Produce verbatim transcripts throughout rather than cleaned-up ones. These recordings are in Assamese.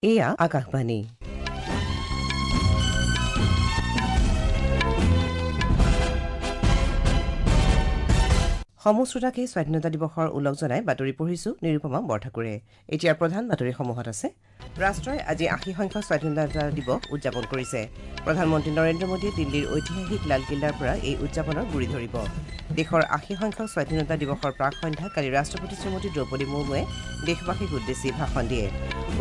এয়া আকাশবাণী। সমূহ শ্ৰোতাকে স্বাধীনতা দিৱসৰ ওলগ জনাই বাতৰি পঢ়িছো নিৰুপমা বৰঠাকুৰে। এতিয়া প্ৰধান বাতৰিসমূহত আছে, ৰাষ্ট্ৰই আজি আশী সংখ্যক স্বাধীনতা দিৱস উদযাপন কৰিছে। প্ৰধানমন্ত্ৰী নৰেন্দ্ৰ মোদীয়ে দিল্লীৰ ঐতিহাসিক লালকিল্লাৰ পৰা এই উদযাপনৰ গুৰি ধৰিব। দেশৰ আশী সংখ্যক স্বাধীনতা দিৱসৰ প্ৰাক সন্ধ্যা কালি ৰাষ্ট্ৰপতি শ্ৰীমতী দ্ৰৌপদী মুৰ্মুৱে দেশবাসীক উদ্দেশ্যি ভাষণ দিয়ে।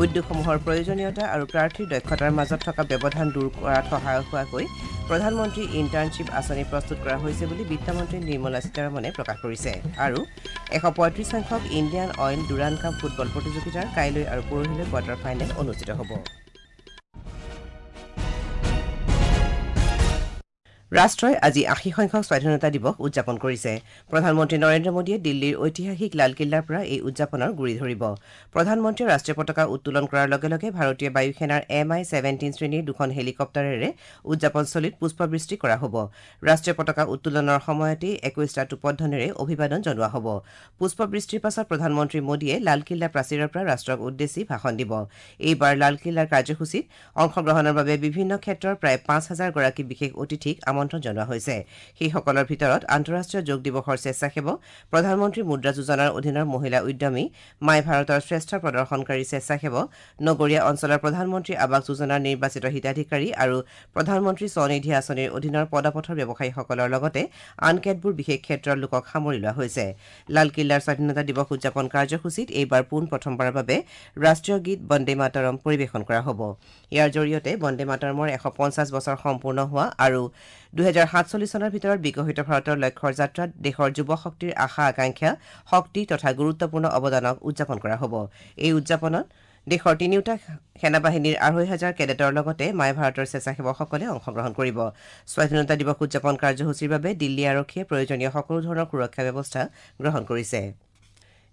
উদ্যোগসমূহৰ প্ৰয়োজনীয়তা আৰু প্ৰাৰ্থীৰ দক্ষতাৰ মাজত থকা ব্যৱধান দূৰ কৰাত সহায়ক হোৱাকৈ প্ৰধানমন্ত্ৰী ইণ্টাৰ্ণশ্বিপ আঁচনি প্ৰস্তুত কৰা হৈছে বুলি বিত্তমন্ত্ৰী নিৰ্মলা সীতাৰমণে প্ৰকাশ কৰিছে। আৰু এশ পঁয়ত্ৰিশ সংখ্যক Indian Oil Durand Cup football প্ৰতিযোগিতাৰ কাইলৈ আৰু পৰহিলৈ কোৱাৰ্টাৰ ফাইনেল অনুষ্ঠিত হ'ব। ৰাষ্ট্ৰই আজি আশী সংখ্যক স্বাধীনতা দিৱস উদযাপন কৰিছে। প্ৰধানমন্ত্ৰী নৰেন্দ্ৰ মোদীয়ে দিল্লীৰ ঐতিহাসিক লালকিল্লাৰ পৰা এই উদযাপনৰ গুৰি ধৰিব। প্ৰধানমন্ত্ৰীয়ে ৰাষ্ট্ৰীয় পতাকা উত্তোলন কৰাৰ লগে লগে ভাৰতীয় বায়ুসেনাৰ এম আই ছেভেণ্টিন শ্ৰেণীৰ দুখন হেলিকপ্টাৰেৰে উদযাপনস্থলীত পুষ্পবৃষ্টি কৰা হ'ব। ৰাষ্ট্ৰীয় পতাকা উত্তোলনৰ সময়তেই একৈশটা টোপধ্বনিৰে অভিবাদন জনোৱা হ'ব। পুষ্পবৃষ্টিৰ পাছত প্ৰধানমন্ত্ৰী মোদীয়ে লালকিল্লা প্ৰাচীৰৰ পৰা ৰাষ্ট্ৰক উদ্দেশ্যি ভাষণ দিব। এইবাৰ লালকিল্লাৰ কাৰ্যসূচীত অংশগ্ৰহণৰ বাবে বিভিন্ন ক্ষেত্ৰৰ প্ৰায় পাঁচ হাজাৰ গৰাকী বিশেষ অতিথিক আমন্ত্ৰণ জনোৱা হৈছে। সেইসকলৰ ভিতৰত আন্তঃৰাষ্ট্ৰীয় যোগ দিৱসৰ স্বেচ্ছাসেৱক, প্ৰধানমন্ত্ৰী মুদ্ৰা যোজনাৰ অধীনৰ মহিলা উদ্যমী, মাই ভাৰতৰ শ্ৰেষ্ঠ প্ৰদৰ্শনকাৰী স্বেচ্ছাসেৱক, নগৰীয়া অঞ্চলৰ প্ৰধানমন্ত্ৰী আৱাস যোজনাৰ নিৰ্বাচিত হিতাধিকাৰী আৰু প্ৰধানমন্ত্ৰী স্বনিধি আঁচনিৰ অধীনৰ পদপথৰ ব্যৱসায়ীসকলৰ লগতে আন কেতবোৰ বিশেষ ক্ষেত্ৰৰ লোকক সামৰি লোৱা হৈছে। লালকিল্লাৰ স্বাধীনতা দিৱস উদযাপন কাৰ্যসূচীত এইবাৰ পোন প্ৰথমবাৰৰ বাবে ৰাষ্ট্ৰীয় গীত বন্দে মাতৰম পৰিৱেশন কৰা হ'ব। ইয়াৰ জৰিয়তে বন্দে মাতৰমৰ এশ পঞ্চাছ বছৰ সম্পূৰ্ণ হোৱা আৰু দুহেজাৰ সাতচল্লিছ চনৰ ভিতৰত বিকশিত ভাৰতৰ লক্ষ্যৰ যাত্ৰাত দেশৰ যুৱ শক্তিৰ আশা আকাংক্ষা, শক্তি তথা গুৰুত্বপূৰ্ণ অৱদানক উদযাপন কৰা হ'ব। এই উদযাপনত দেশৰ তিনিওটা সেনাবাহিনীৰ আঢ়ৈ হাজাৰ কেডেটৰ লগতে মাই ভাৰতৰ স্বেচ্ছাসেৱকসকলে অংশগ্ৰহণ কৰিব। স্বাধীনতা দিৱস উদযাপন কাৰ্যসূচীৰ বাবে দিল্লী আৰক্ষীয়ে প্ৰয়োজনীয় সকলো ধৰণৰ সুৰক্ষা ব্যৱস্থা গ্ৰহণ কৰিছে।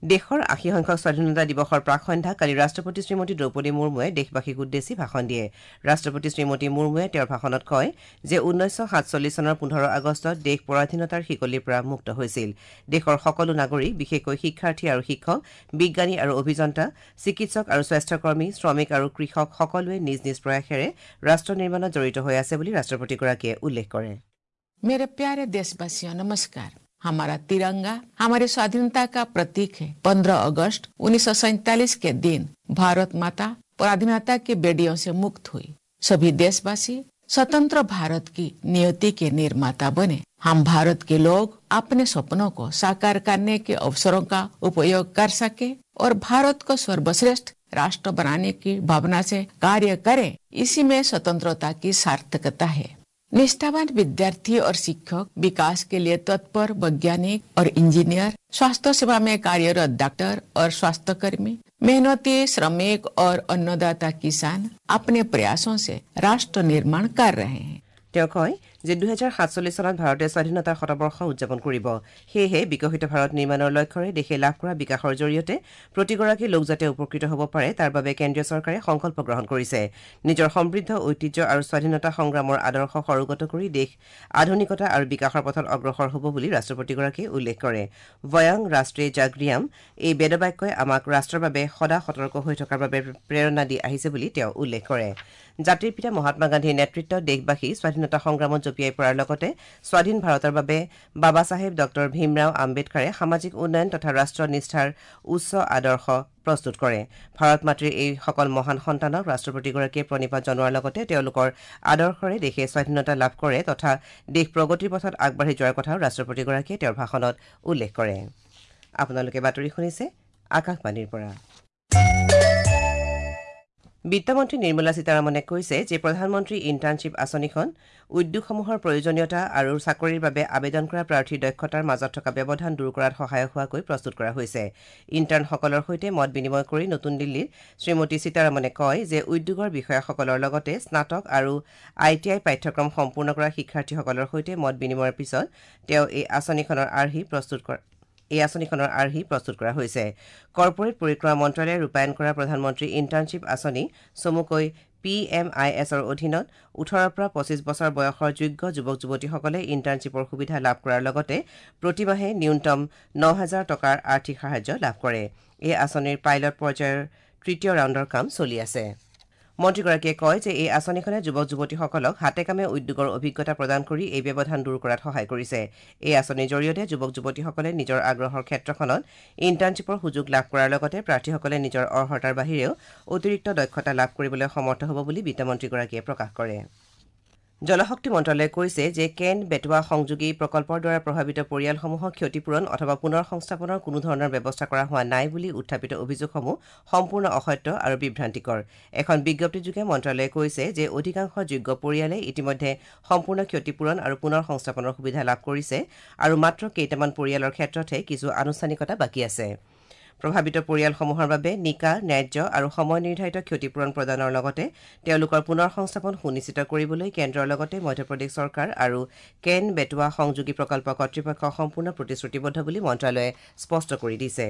দেশৰ আশী সংখ্যক স্বাধীনতা দিৱসৰ প্ৰাক সন্ধ্যা কালি ৰাষ্ট্ৰপতি শ্ৰীমতী দ্ৰৌপদী মুৰ্মুৱে দেশবাসীক উদ্দেশ্যি ভাষণ দিয়ে। ৰাষ্ট্ৰপতি শ্ৰীমতী মুৰ্মুৱে তেওঁৰ ভাষণত কয় যে ঊনৈছশ সাতচল্লিছ চনৰ পোন্ধৰ আগষ্টত দেশ পৰাধীনতাৰ শিকলিৰ পৰা মুক্ত হৈছিল। দেশৰ সকলো নাগৰিক, বিশেষকৈ শিক্ষাৰ্থী আৰু শিক্ষক, বিজ্ঞানী আৰু অভিযন্তা, চিকিৎসক আৰু স্বাস্থ্যকৰ্মী, শ্ৰমিক আৰু কৃষক সকলোৱে নিজ নিজ প্ৰয়াসেৰে ৰাষ্ট্ৰ নিৰ্মাণত জড়িত হৈ আছে বুলি ৰাষ্ট্ৰপতিগৰাকীয়ে উল্লেখ কৰে। मेरे प्यारे देशवासियों, नमस्कार। हमारा तिरंगा हमारी स्वाधीनता का प्रतीक है। पंद्रह अगस्त उन्नीस सौ सैतालीस के दिन भारत माता पराधीनता के बेड़ियों से मुक्त हुई। सभी देशवासी स्वतंत्र भारत की नियति के निर्माता बने। हम भारत के लोग अपने सपनों को साकार करने के अवसरों का उपयोग कर सके और भारत को सर्वश्रेष्ठ राष्ट्र बनाने की भावना से कार्य करें, इसी में स्वतंत्रता की सार्थकता है। निष्ठावान विद्यार्थी और शिक्षक, विकास के लिए तत्पर वैज्ञानिक और इंजीनियर, स्वास्थ्य सेवा में कार्यरत डॉक्टर और स्वास्थ्यकर्मी, मेहनती श्रमिक और अन्नदाता किसान अपने प्रयासों से राष्ट्र निर्माण कर रहे हैं। তেওঁ কয় যে দুহেজাৰ সাতচল্লিছ চনত ভাৰতে স্বাধীনতাৰ শতবৰ্ষ উদযাপন কৰিব। সেয়েহে বিকশিত ভাৰত নিৰ্মাণৰ লক্ষ্যৰে দেশে লাভ কৰা বিকাশৰ জৰিয়তে প্ৰতিগৰাকী লোক যাতে উপকৃত হ'ব পাৰে তাৰ বাবে কেন্দ্ৰীয় চৰকাৰে সংকল্প গ্ৰহণ কৰিছে। নিজৰ সমৃদ্ধ ঐতিহ্য আৰু স্বাধীনতা সংগ্ৰামৰ আদৰ্শ সৰোগত কৰি দেশ আধুনিকতা আৰু বিকাশৰ পথত অগ্ৰসৰ হ'ব বুলি ৰাষ্ট্ৰপতিগৰাকীয়ে উল্লেখ কৰে। বয়ং ৰাষ্ট্ৰীয় জাগ্ৰিয়াম এই বেদবাক্যই আমাক ৰাষ্ট্ৰৰ বাবে সদা সতৰ্ক হৈ থকাৰ বাবে প্ৰেৰণা দি আহিছে বুলি তেওঁ উল্লেখ কৰে। জাতিৰ পিতা মহাত্মা গান্ধীৰ নেতৃত্বত দেশবাসী স্বাধীনতা সংগ্ৰামত জঁপিয়াই পৰাৰ লগতে স্বাধীন ভাৰতৰ বাবে বাবা চাহেব ডক্টৰ ভীমৰাও আম্বেদকাৰে সামাজিক উন্নয়ন তথা ৰাষ্ট্ৰ নিষ্ঠাৰ উচ্চ আদৰ্শ প্ৰস্তুত কৰে। ভাৰত মাতৃৰ এইসকল মহান সন্তানক ৰাষ্ট্ৰপতিগৰাকীয়ে প্ৰণিপাত জনোৱাৰ লগতে তেওঁলোকৰ আদৰ্শৰে দেশে স্বাধীনতা লাভ কৰে তথা দেশ প্ৰগতিৰ পথত আগবাঢ়ি যোৱাৰ কথাও ৰাষ্ট্ৰপতিগৰাকীয়ে তেওঁৰ ভাষণত উল্লেখ কৰে। আপোনালোকে বাতৰি শুনিছে আকাশবাণীৰ পৰা। বিত্তমন্ত্ৰী নিৰ্মলা সীতাৰমণে কৈছে যে প্ৰধানমন্ত্ৰী ইণ্টাৰ্ণশ্বিপ আঁচনিখন উদ্যোগসমূহৰ প্ৰয়োজনীয়তা আৰু চাকৰিৰ বাবে আবেদন কৰা প্ৰাৰ্থীৰ দক্ষতাৰ মাজত থকা ব্যৱধান দূৰ কৰাত সহায়ক হোৱাকৈ প্ৰস্তুত কৰা হৈছে। ইণ্টাৰ্ণসকলৰ সৈতে মত বিনিময় কৰি নতুন দিল্লীত শ্ৰীমতী সীতাৰমণে কয় যে উদ্যোগৰ বিষয়াসকলৰ লগতে স্নাতক আৰু I T I পাঠ্যক্ৰম সম্পূৰ্ণ কৰা শিক্ষাৰ্থীসকলৰ সৈতে মত বিনিময়ৰ পিছত তেওঁ এই আঁচনিখনৰ আৰ্হি প্ৰস্তুত কৰে এই আঁচনিখনৰ আৰ্হি প্ৰস্তুত কৰা হৈছে। কৰ্পৰেট পৰিক্ৰমা মন্ত্ৰালয়ে ৰূপায়ণ কৰা প্ৰধানমন্ত্ৰী ইণ্টাৰ্ণশ্বিপ আঁচনি চমুকৈ পি এম আই এছৰ অধীনত ওঠৰৰ পৰা পঁচিছ বছৰ বয়সৰ যোগ্য যুৱক যুৱতীসকলে ইণ্টাৰ্ণশ্বিপৰ সুবিধা লাভ কৰাৰ লগতে প্ৰতিমাহে ন্যূনতম ন হাজাৰ টকাৰ আৰ্থিক সাহায্য লাভ কৰে। এই আঁচনিৰ পাইলট পৰ্যায়ৰ তৃতীয় ৰাউণ্ডৰ কাম চলি আছে। মন্ত্ৰীগৰাকীয়ে কয় যে এই আঁচনিখনে যুৱক যুৱতীসকলক হাতে কামে উদ্যোগৰ অভিজ্ঞতা প্ৰদান কৰি এই ব্যৱধান দূৰ কৰাত সহায় কৰিছে। এই আঁচনিৰ জৰিয়তে যুৱক যুৱতীসকলে নিজৰ আগ্ৰহৰ ক্ষেত্ৰখনত ইণ্টাৰ্ণশ্বিপৰ সুযোগ লাভ কৰাৰ লগতে প্ৰাৰ্থীসকলে নিজৰ অৰ্হতাৰ বাহিৰেও অতিৰিক্ত দক্ষতা লাভ কৰিবলৈ সমৰ্থ হ'ব বুলি বিত্তমন্ত্ৰীগৰাকীয়ে প্ৰকাশ কৰে। জলশক্তি মন্ত্ৰালয়ে কৈছে যে কেন বেটৱা সংযোগী প্ৰকল্পৰ দ্বাৰা প্ৰভাৱিত পৰিয়ালসমূহক ক্ষতিপূৰণ অথবা পুনৰ সংস্থাপনৰ কোনো ধৰণৰ ব্যৱস্থা কৰা হোৱা নাই বুলি উত্থাপিত অভিযোগসমূহ সম্পূৰ্ণ অসত্য আৰু বিভ্ৰান্তিকৰ। এখন বিজ্ঞপ্তিযোগে মন্ত্ৰালয়ে কৈছে যে অধিকাংশ যোগ্য পৰিয়ালে ইতিমধ্যে সম্পূৰ্ণ ক্ষতিপূৰণ আৰু পুনৰ সংস্থাপনৰ সুবিধা লাভ কৰিছে আৰু মাত্ৰ কেইটামান পৰিয়ালৰ ক্ষেত্ৰতহে কিছু আনুষ্ঠানিকতা বাকী আছে। প্ৰভাৱিত পৰিয়ালসমূহৰ বাবে নিকা, ন্যায্য আৰু সময় নিৰ্ধাৰিত ক্ষতিপূৰণ প্ৰদানৰ লগতে তেওঁলোকৰ পুনৰ সংস্থাপন সুনিশ্চিত কৰিবলৈ কেন্দ্ৰৰ লগতে মধ্যপ্ৰদেশ চৰকাৰ আৰু কেন বেটৱা সংযোগী প্ৰকল্প কৰ্তৃপক্ষ সম্পূৰ্ণ প্ৰতিশ্ৰুতিবদ্ধ বুলি মন্ত্ৰালয়ে স্পষ্ট কৰি দিছে।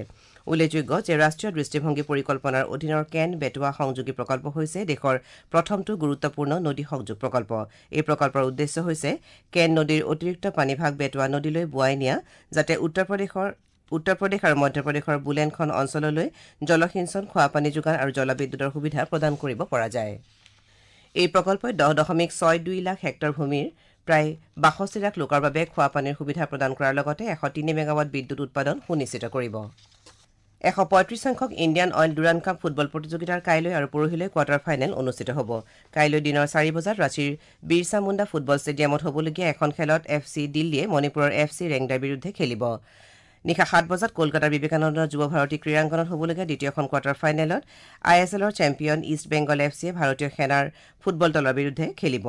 উল্লেখযোগ্য যে ৰাষ্ট্ৰীয় দৃষ্টিভংগী পৰিকল্পনাৰ অধীনৰ কেন বেটৱা সংযোগী প্ৰকল্প হৈছে দেশৰ প্ৰথমটো গুৰুত্বপূৰ্ণ নদী সংযোগ প্ৰকল্প। এই প্ৰকল্পৰ উদ্দেশ্য হৈছে কেন নদীৰ অতিৰিক্ত পানীভাগ বেটৱা নদীলৈ বোৱাই নিয়া, যাতে উত্তৰ প্ৰদেশৰ উত্তৰ প্ৰদেশ আৰু মধ্যপ্ৰদেশৰ বুলেনখন অঞ্চললৈ জলসিঞ্চন, খোৱাপানী যোগান আৰু জলবিদ্যুতৰ সুবিধা প্ৰদান কৰিব পৰা যায়। এই প্ৰকল্পই দহ দশমিক ছয় দুই লাখ হেক্টৰ ভূমিৰ প্ৰায় বাষষ্ঠি লাখ লোকৰ বাবে খোৱাপানীৰ সুবিধা প্ৰদান কৰাৰ লগতে এশ তিনি মেগাৱাট বিদ্যুৎ উৎপাদন সুনিশ্চিত কৰিব। এশ পঁয়ত্ৰিশ সংখ্যক Indian Oil Durand Cup football প্ৰতিযোগিতাৰ কাইলৈ আৰু পৰহিলৈ কোৱাৰ্টাৰ ফাইনেল অনুষ্ঠিত হ'ব। কাইলৈ দিনৰ চাৰি বজাত ৰাঁচীৰ বিৰছা মুণ্ডা ফুটবল ষ্টেডিয়ামত হ'বলগীয়া এখন খেলত এফ চি দিল্লীয়ে মণিপুৰৰ এফ চি ৰেংদাৰ বিৰুদ্ধে খেলিব। নিশা সাত বজাত কলকাতাৰ বিবেকানন্দ যুৱ ভাৰতী ক্ৰীড়াংগনত হ'বলগীয়া দ্বিতীয়খন কোৱাৰ্টাৰ ফাইনেলত I S এলৰ চেম্পিয়ন ইষ্ট বেংগল এফ চিয়ে ভাৰতীয় সেনাৰ ফুটবল দলৰ বিৰুদ্ধে খেলিব।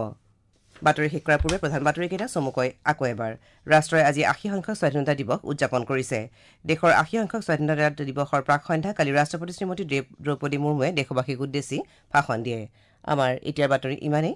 বাতৰি শেষ কৰাৰ পূৰ্বে প্ৰধান বাতৰিকেইটা চমুকৈ আকৌ এবাৰ। ৰাষ্ট্ৰই আজি আশী সংখ্যক স্বাধীনতা দিৱস উদযাপন কৰিছে। দেশৰ আশী সংখ্যক স্বাধীনতা দিৱসৰ প্ৰাক সন্ধ্যা কালি ৰাষ্ট্ৰপতি শ্ৰীমতী দ্ৰৌপদী মুৰ্মুৱে দেশবাসীক উদ্দেশ্যি ভাষণ দিয়ে। আমাৰ এতিয়াৰ বাতৰি ইমানেই।